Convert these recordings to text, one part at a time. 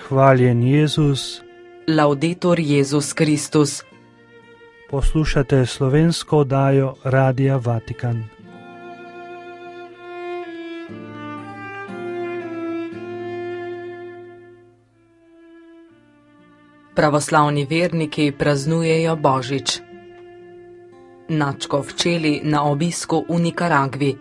Hvaljen Jezus. Laudetur Jezus Kristus. Poslušate slovensko oddajo Radia Vatikan. Pravoslavni verniki praznujejo Božič. Nadškof Čeli na obisku v Nikaragvi.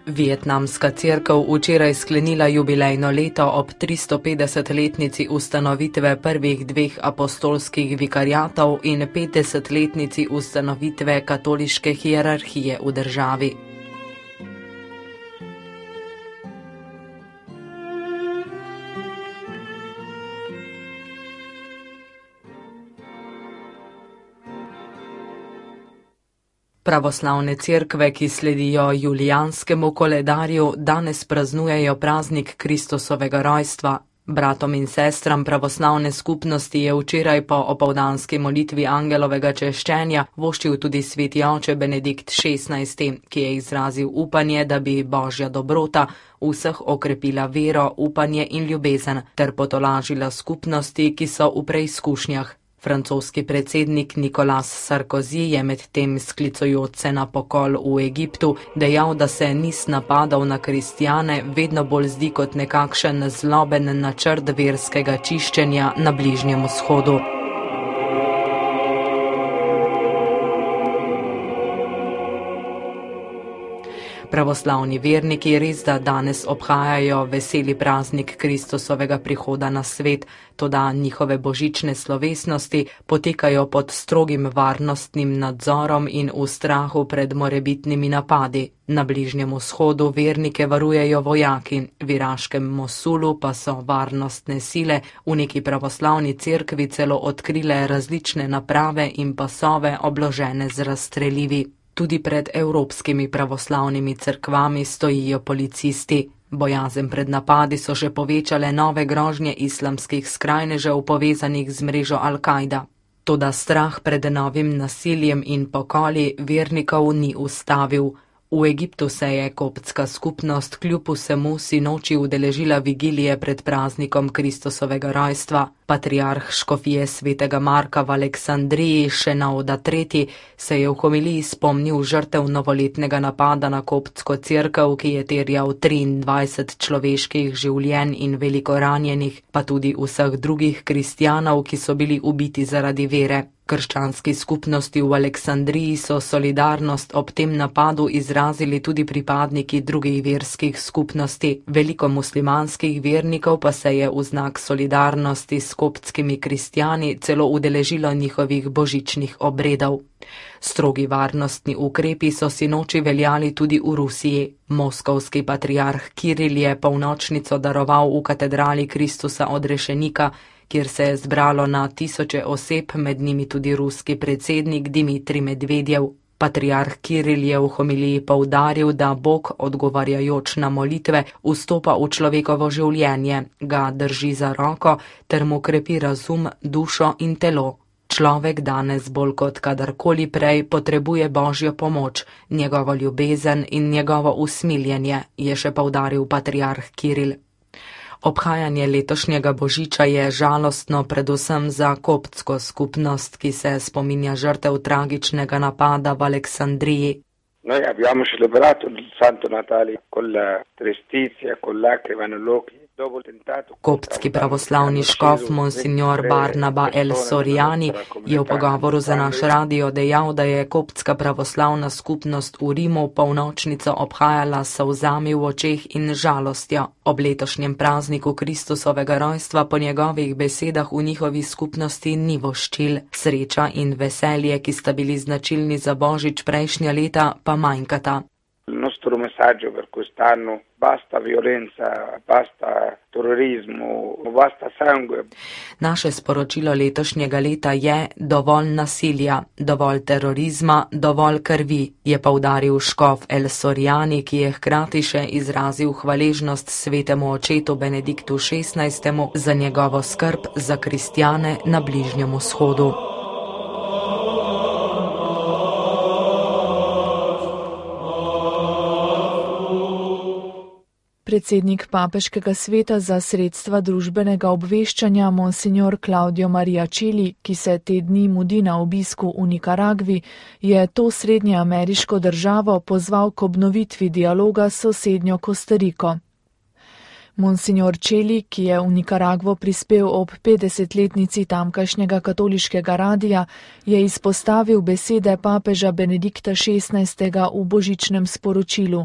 Vietnamska cerkev včeraj sklenila jubilejno leto ob 350-letnici ustanovitve prvih dveh apostolskih vikariatov in 50-letnici ustanovitve katoliške hierarhije v državi. Pravoslavne cerkve, ki sledijo julijanskemu koledarju, danes praznujejo praznik Kristusovega rojstva. Bratom in sestram pravoslavne skupnosti je včeraj po opoldanski molitvi angelovega češčenja voščil tudi sveti oče Benedikt XVI, ki je izrazil upanje, da bi Božja dobrota vseh okrepila vero, upanje in ljubezen ter potolažila skupnosti, ki so v preizkušnjah. Francoski predsednik Nicolas Sarkozy je medtem sklicujoč se na pokol v Egiptu dejal, da se niz napadov na kristjane vedno bolj zdi kot nekakšen zloben načrt verskega čiščenja na Bližnjem vzhodu. Pravoslavni verniki res da danes obhajajo veseli praznik Kristusovega prihoda na svet, toda njihove božične slovesnosti potekajo pod strogim varnostnim nadzorom in v strahu pred morebitnimi napadi. Na Bližnjem vzhodu vernike varujejo vojaki, v iraškem Mosulu pa so varnostne sile v neki pravoslavni cerkvi celo odkrile različne naprave in pasove obložene z razstrelivi. Tudi pred evropskimi pravoslavnimi cerkvami stojijo policisti. Bojazen pred napadi so že povečale nove grožnje islamskih skrajnežev povezanih z mrežo Al-Kaida. Toda strah pred novim nasiljem in pokoli vernikov ni ustavil. V Egiptu se je koptska skupnost kljub vsemu sinoči udeležila vigilije pred praznikom Kristusovega rojstva. Patriarh škofije svetega Marka v Aleksandriji Šenauda III se je v homiliji spomnil žrtev novoletnega napada na koptsko cerkev, ki je terjal 23 človeških življenj in veliko ranjenih, pa tudi vseh drugih kristjanov, ki so bili ubiti zaradi vere. Krščanski skupnosti v Aleksandriji so solidarnost ob tem napadu izrazili tudi pripadniki drugih verskih skupnosti. Veliko muslimanskih vernikov pa se je v znak solidarnosti s koptskimi kristjani celo udeležilo njihovih božičnih obredov. Strogi varnostni ukrepi so sinoči veljali tudi v Rusiji. Moskovski patriarh Kiril je polnočnico daroval v katedrali Kristusa odrešenika, kjer se je zbralo na tisoče oseb, med njimi tudi ruski predsednik Dimitrij Medvedjev. Patriarh Kiril je v homiliji poudaril, da Bog, odgovarjajoč na molitve, vstopa v človekovo življenje, ga drži za roko ter mu krepi razum, dušo in telo. Človek danes bolj kot kadarkoli prej potrebuje Božjo pomoč, njegovo ljubezen in njegovo usmiljenje, je še poudaril patriarh Kiril. Obhajanje letošnjega božiča je žalostno predvsem za koptsko skupnost, ki se spominja žrtev tragičnega napada v Aleksandriji. Noi abbiamo celebrato il Santo Natale con la tristezza, con lacrime negli occhi. Koptski pravoslavni škof Monsignor Barnaba El Soriani je v pogovoru za naš radio dejal, da je koptska pravoslavna skupnost v Rimu polnočnico obhajala s solzami v očeh in žalostjo. Ob letošnjem prazniku Kristusovega rojstva po njegovih besedah v njihovi skupnosti ni voščil. Sreča in veselje, ki sta bili značilni za božič prejšnja leta, pa manjkata. Il nostro messaggio per quest'anno: basta violenza, basta terorizmu, basta sangue. Naše sporočilo letošnjega leta je dovolj nasilja, dovolj terorizma, dovolj krvi, je poudaril škof El Soriani, ki je hkrati še izrazil hvaležnost svetemu očetu Benediktu XVI za njegovo skrb za kristjane na Bližnjem vzhodu. predsednik Papeškega sveta za sredstva družbenega obveščanja monsignor Claudio Maria Celli, ki se te dni mudi na obisku v Nikaragvi, je to srednjeameriško državo pozval k obnovitvi dialoga s sosednjo Kostariko. Monsignor Celli, ki je v Nikaragvo prispel ob 50-letnici tamkajšnjega katoliškega radija, je izpostavil besede papeža Benedikta XVI. V božičnem sporočilu,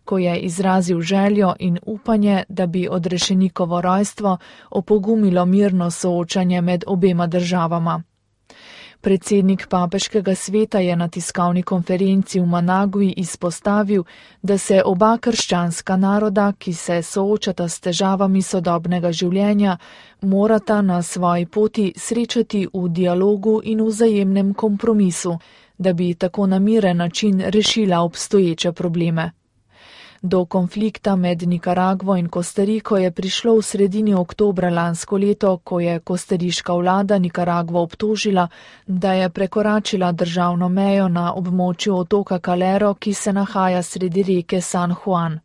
ko je izrazil željo in upanje, da bi odrešenikovo rojstvo opogumilo mirno soočanje med obema državama. Predsednik Papeškega sveta je na tiskovni konferenci v Managui izpostavil, da se oba krščanska naroda, ki se soočata s težavami sodobnega življenja, morata na svoji poti srečati v dialogu in vzajemnem kompromisu, da bi tako na miren način rešila obstoječe probleme. Do konflikta med Nikaragvo in Kostariko je prišlo v sredini oktobra lansko leto, ko je kostariška vlada Nikaragvo obtožila, da je prekoračila državno mejo na območju otoka Calero, ki se nahaja sredi reke San Juan.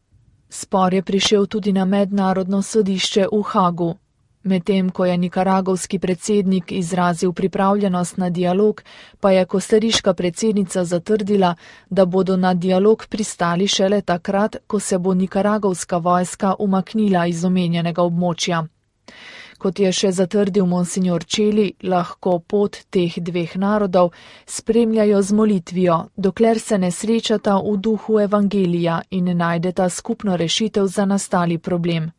Spor je prišel tudi na mednarodno sodišče v Hagu. Medtem ko je nikaragovski predsednik izrazil pripravljenost na dialog, pa je kostariška predsednica zatrdila, da bodo na dialog pristali šele takrat, ko se bo nikaragovska vojska umaknila iz omenjenega območja. Kot je še zatrdil monsignor Celli, lahko pot teh dveh narodov spremljajo z molitvijo, dokler se ne srečata v duhu evangelija in ne najdeta skupno rešitev za nastali problem.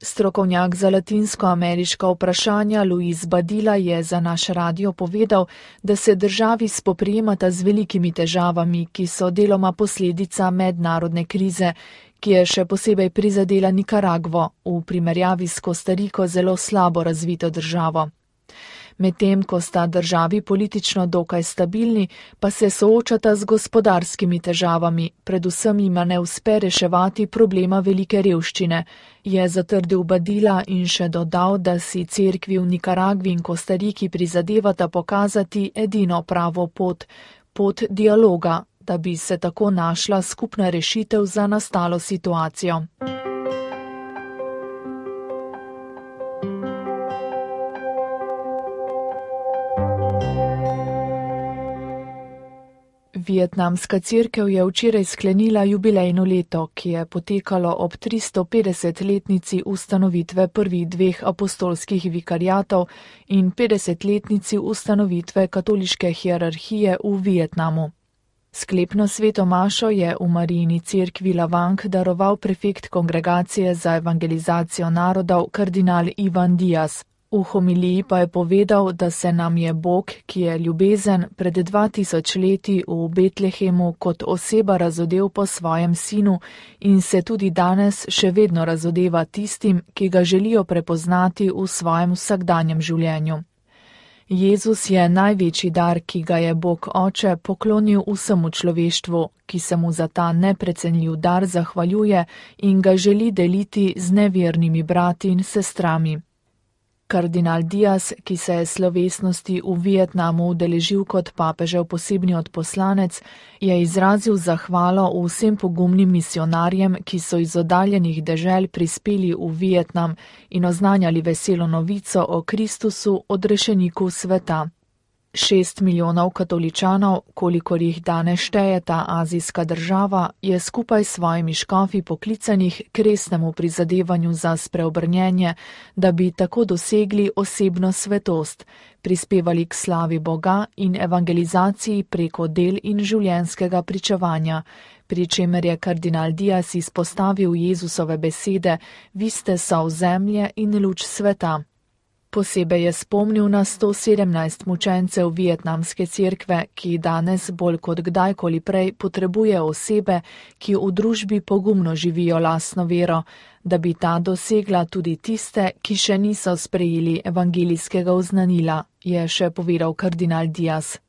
Strokovnjak za latinskoameriška vprašanja Luis Badilla je za naš radio povedal, da se državi spoprijemata z velikimi težavami, ki so deloma posledica mednarodne krize, ki je še posebej prizadela Nikaragvo, v primerjavi s Kostariko zelo slabo razvito državo. Medtem ko sta državi politično dokaj stabilni, pa se soočata z gospodarskimi težavami, predvsem jima ne uspe reševati problema velike revščine, je zatrdil Badilla in še dodal, da si cerkvi v Nikaragvi in Kostariki prizadevata pokazati edino pravo pot dialoga, da bi se tako našla skupna rešitev za nastalo situacijo. Vietnamska cerkev je včeraj sklenila jubilejno leto, ki je potekalo ob 350-letnici ustanovitve prvih dveh apostolskih vikariatov in 50-letnici ustanovitve katoliške hierarhije v Vietnamu. Sklepno sveto mašo je v Marijini cerkvi Lavang daroval prefekt kongregacije za evangelizacijo narodov kardinal Ivan Diaz. V homiliji pa je povedal, da se nam je Bog, ki je ljubezen, pred 2000 leti v Betlehemu kot oseba razodel po svojem sinu in se tudi danes še vedno razodeva tistim, ki ga želijo prepoznati v svojem vsakdanjem življenju. Jezus je največji dar, ki ga je Bog Oče poklonil vsemu človeštvu, ki se mu za ta neprecenljiv dar zahvaljuje in ga želi deliti z nevernimi brati in sestrami. Kardinal Diaz, ki se je slovesnosti v Vietnamu udeležil kot papežev posebni odposlanec, je izrazil zahvalo vsem pogumnim misionarjem, ki so iz oddaljenih dežel prispeli v Vietnam in oznanjali veselo novico o Kristusu, odrešeniku sveta. 6 milijonov katoličanov, kolikor jih danes šteje ta azijska država, je skupaj s svojimi škofi poklicanih k resnemu prizadevanju za spreobrnjenje, da bi tako dosegli osebno svetost, prispevali k slavi Boga in evangelizaciji preko del in življenjskega pričevanja, pri čemer je kardinal Diaz izpostavil Jezusove besede: "Vi ste sol zemlje in luč sveta." Posebej je spomnil na 117 mučencev vietnamske cerkve, ki danes bolj kot kdajkoli prej potrebuje osebe, ki v družbi pogumno živijo lastno vero, da bi ta dosegla tudi tiste, ki še niso sprejeli evangelijskega oznanila, je še povedal kardinal Diaz.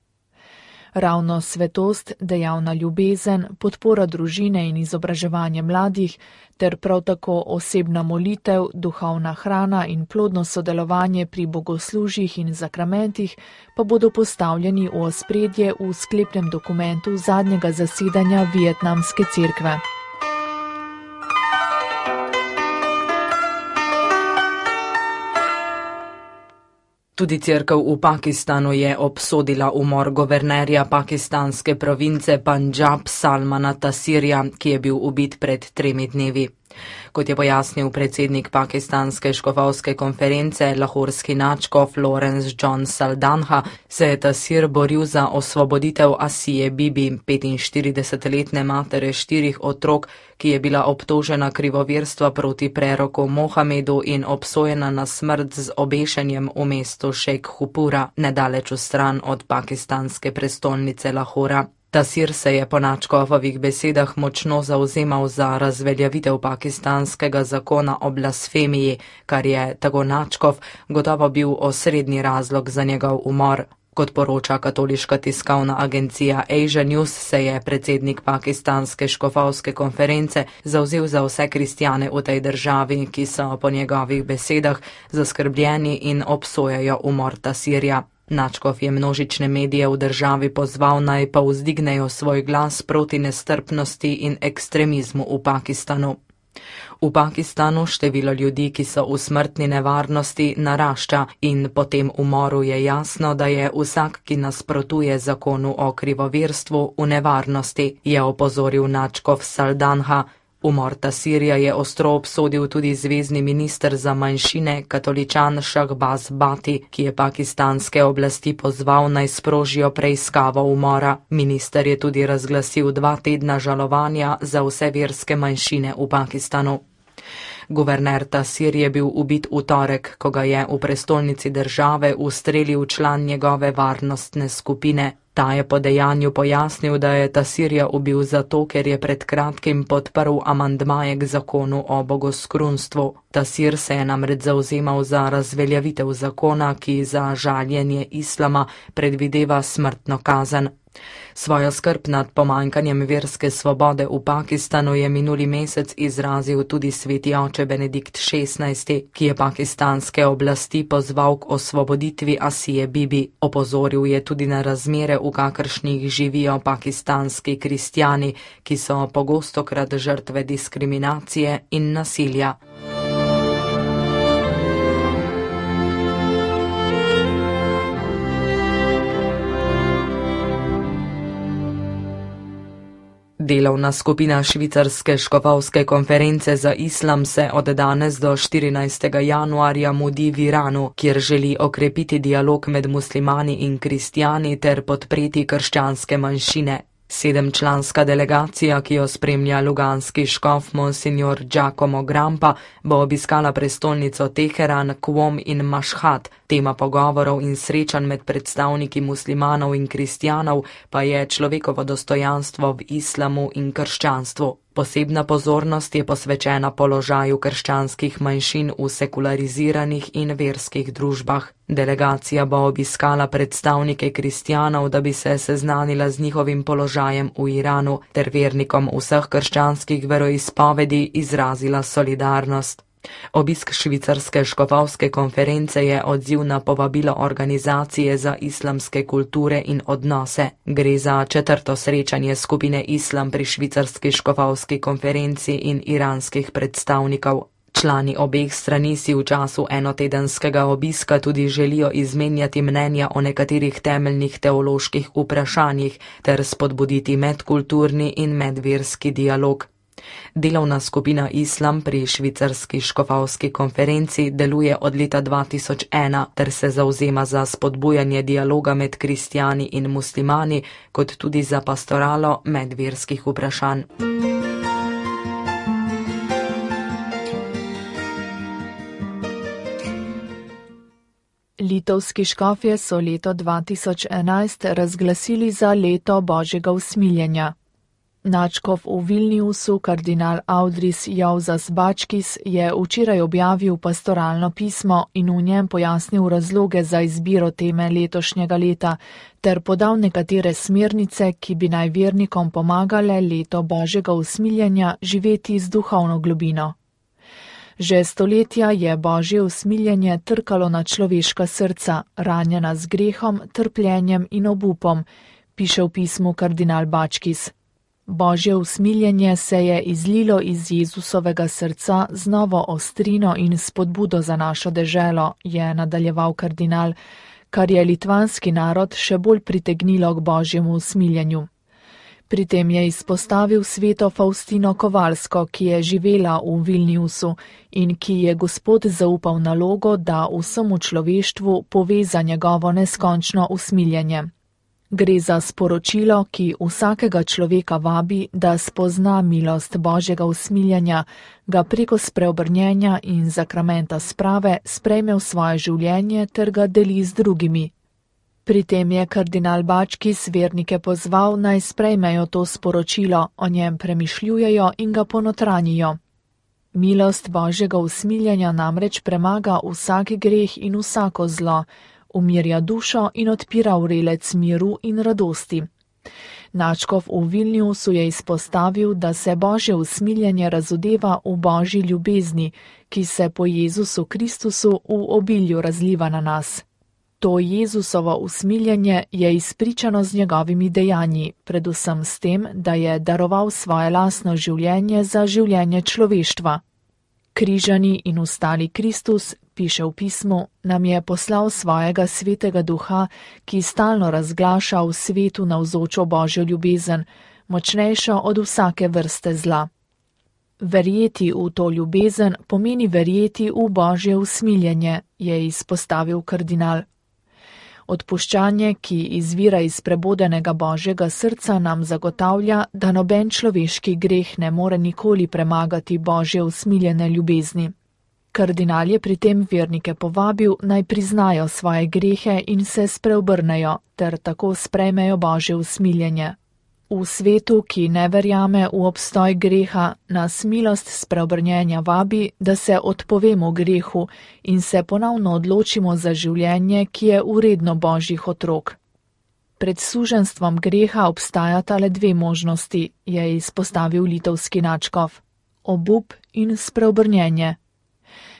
Ravno svetost, dejavna ljubezen, podpora družine in izobraževanje mladih, ter prav tako osebna molitev, duhovna hrana in plodno sodelovanje pri bogoslužjih in zakramentih pa bodo postavljeni v ospredje v sklepnem dokumentu zadnjega zasedanja vietnamske cerkve. Tudi cerkev v Pakistanu je obsodila umor guvernerja pakistanske province Pandžab Salmana Tasirja, ki je bil ubit pred 3 dnevi. Kot je pojasnil predsednik pakistanske škofovske konference, lahorski nadškof Lawrence John Saldanha, se je Tasir boril za osvoboditev Asije Bibi, 45-letne matere 4 otrok, ki je bila obtožena krivovirstva proti preroku Mohamedu in obsojena na smrt z obešenjem v mestu Šejkhupura, nedaleč stran od pakistanske prestolnice Lahora. Tasir se je po nadškofovih besedah močno zavzemal za razveljavitev pakistanskega zakona o blasfemiji, kar je, tako nadškof, gotovo bil osrednji razlog za njegov umor. Kot poroča katoliška tiskovna agencija Asia News, se je predsednik pakistanske škofovske konference zavzel za vse kristjane v tej državi, ki so po njegovih besedah zaskrbljeni in obsojajo umor Tasirja. Nadškof je množične medije v državi pozval, naj pa vzdignejo svoj glas proti nestrpnosti in ekstremizmu v Pakistanu. V Pakistanu število ljudi, ki so v smrtni nevarnosti, narašča in po tem umoru je jasno, da je vsak, ki nasprotuje zakonu o krivovirstvu, v nevarnosti, je opozoril nadškof Saldanha. Umor Tasirja je ostro obsodil tudi zvezni minister za manjšine, katoličan Shahbaz Bhatti, ki je pakistanske oblasti pozval, naj sprožijo preiskavo umora. Minister je tudi razglasil 2 tedna žalovanja za vse verske manjšine v Pakistanu. Guverner Tasir je bil ubit v torek, ko ga je v prestolnici države ustrelil član njegove varnostne skupine. Ta je po dejanju pojasnil, da je Tasirja ubil zato, ker je pred kratkim podprl amandmaje k zakonu o bogoskrunstvu. Tasir se je namreč zavzemal za razveljavitev zakona, ki za žaljenje islama predvideva smrtno kazen. Svojo skrb nad pomanjkanjem verske svobode v Pakistanu je minuli mesec izrazil tudi sveti oče Benedikt XVI, ki je pakistanske oblasti pozval k osvoboditvi Asije Bibi. Opozoril je tudi na razmere, v kakršnih živijo pakistanski kristjani, ki so pogostokrat žrtve diskriminacije in nasilja. Delovna skupina švicarske škofovske konference za islam se od danes do 14. januarja mudi v Iranu, kjer želi okrepiti dialog med muslimani in kristjani ter podpreti krščanske manjšine. 7-članska delegacija, ki jo spremlja luganski škof monsignor Giacomo Grampa, bo obiskala prestolnico Teheran, Qom in Mašhad. Tema pogovorov in srečanj med predstavniki muslimanov in kristjanov pa je človekovo dostojanstvo v islamu in krščanstvu. Posebna pozornost je posvečena položaju krščanskih manjšin v sekulariziranih in verskih družbah. Delegacija bo obiskala predstavnike kristjanov, da bi se seznanila z njihovim položajem v Iranu ter vernikom vseh krščanskih veroizpovedi izrazila solidarnost. Obisk švicarske škofovske konference je odziv na povabilo Organizacije za islamske kulture in odnose. Gre za 4. srečanje skupine Islam pri švicarski škofovski konferenci in iranskih predstavnikov. Člani obeh strani si v času enotedenskega obiska tudi želijo izmenjati mnenja o nekaterih temeljnih teoloških vprašanjih ter spodbuditi medkulturni in medverski dialog. Delovna skupina Islam pri švicarski škofovski konferenci deluje od leta 2001 ter se zavzema za spodbujanje dialoga med kristjani in muslimani, kot tudi za pastoralo medverskih vprašanj. Litovski škofje so leto 2011 razglasili za leto Božjega usmiljenja. Nadškof v Vilniusu, kardinal Audris Jauzas Bačkis, je včeraj objavil pastoralno pismo in v njem pojasnil razloge za izbiro teme letošnjega leta ter podal nekatere smernice, ki bi naj vernikom pomagale leto Božjega usmiljenja živeti z duhovno globino. Že stoletja je Božje usmiljenje trkalo na človeška srca, ranjena z grehom, trpljenjem in obupom, piše v pismu kardinal Bačkis. Božje usmiljenje se je izlilo iz Jezusovega srca z novo ostrino in spodbudo za našo deželo, je nadaljeval kardinal, kar je litvanski narod še bolj pritegnilo k Božjemu usmiljenju. Pri tem je izpostavil sveto Faustino Kovalsko, ki je živela v Vilniusu in ki je Gospod zaupal nalogo, da vsemu človeštvu pove za njegovo neskončno usmiljenje. Gre za sporočilo, ki vsakega človeka vabi, da spozna milost Božjega usmiljenja, ga preko spreobrnjenja in sakramenta sprave sprejme v svoje življenje ter ga deli z drugimi. Pri tem je kardinal Bačkis vernike pozval, naj sprejmejo to sporočilo, o njem premišljujejo in ga ponotranijo. Milost Božjega usmiljenja namreč premaga vsak greh in vsako zlo, umirja dušo in odpira vrelec miru in radosti. Načkov v Vilniusu je izpostavil, da se Božje usmiljenje razodeva v Božji ljubezni, ki se po Jezusu Kristusu v obilju razliva na nas. To Jezusovo usmiljenje je izpričano z njegovimi dejanji, predvsem s tem, da je daroval svoje lastno življenje za življenje človeštva. Križani in ustali Kristus, piše v pismu, nam je poslal svojega svetega duha, ki stalno razglaša v svetu navzočo Božjo ljubezen, močnejšo od vsake vrste zla. Verjeti v to ljubezen pomeni verjeti v Božje usmiljenje, je izpostavil kardinal. Odpuščanje, ki izvira iz prebudenega Božjega srca, nam zagotavlja, da noben človeški greh ne more nikoli premagati Božje usmiljene ljubezni. Kardinal je pri tem vernike povabil, naj priznajo svoje grehe in se spreobrnejo, ter tako sprejmejo Božje usmiljenje. V svetu, ki ne verjame v obstoj greha, nas milost spreobrnjenja vabi, da se odpovemo grehu in se ponovno odločimo za življenje, ki je vredno Božjih otrok. Pred suženstvom greha obstajata le dve možnosti, je izpostavil litovski načkov: obup in spreobrnjenje.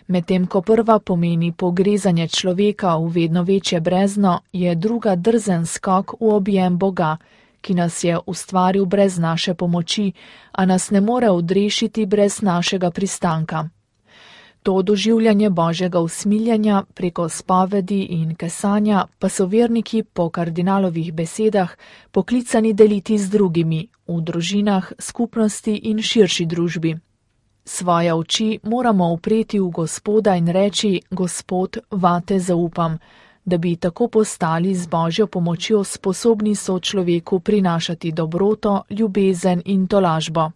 Medtem ko prva pomeni pogrezanje človeka v vedno večje brezno, je druga drzen skok v objem Boga, ki nas je ustvaril brez naše pomoči, a nas ne more odrešiti brez našega pristanka. To doživljanje Božjega usmiljenja preko spovedi in kesanja pa so verniki po kardinalovih besedah poklicani deliti z drugimi, v družinah, skupnosti in širši družbi. Svoje oči moramo upreti v Gospoda in reči: Gospod, vate zaupam, da bi tako postali z Božjo pomočjo sposobni sočloveku prinašati dobroto, ljubezen in tolažbo.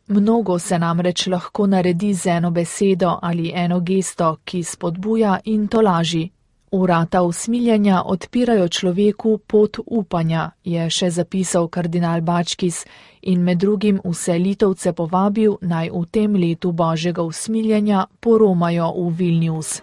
Mnogo se namreč lahko naredi z eno besedo ali eno gesto, ki spodbuja in tolaži. Vrata usmiljenja odpirajo človeku pot upanja, je še zapisal kardinal Bačkis in med drugim vse Litovce povabil, naj v tem letu Božjega usmiljenja poromajo v Vilnius.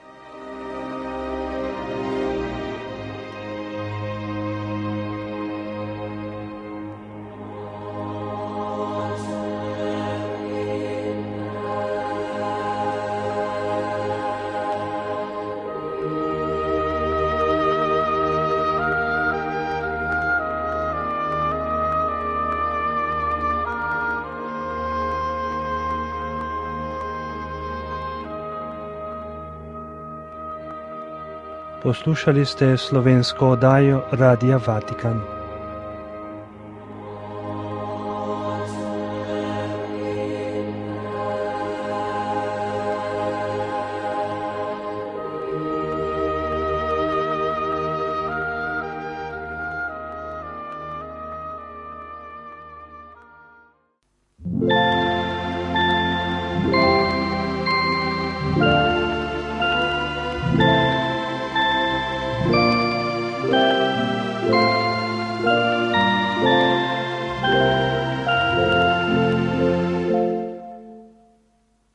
Poslušali ste slovensko oddajo Radia Vatikan.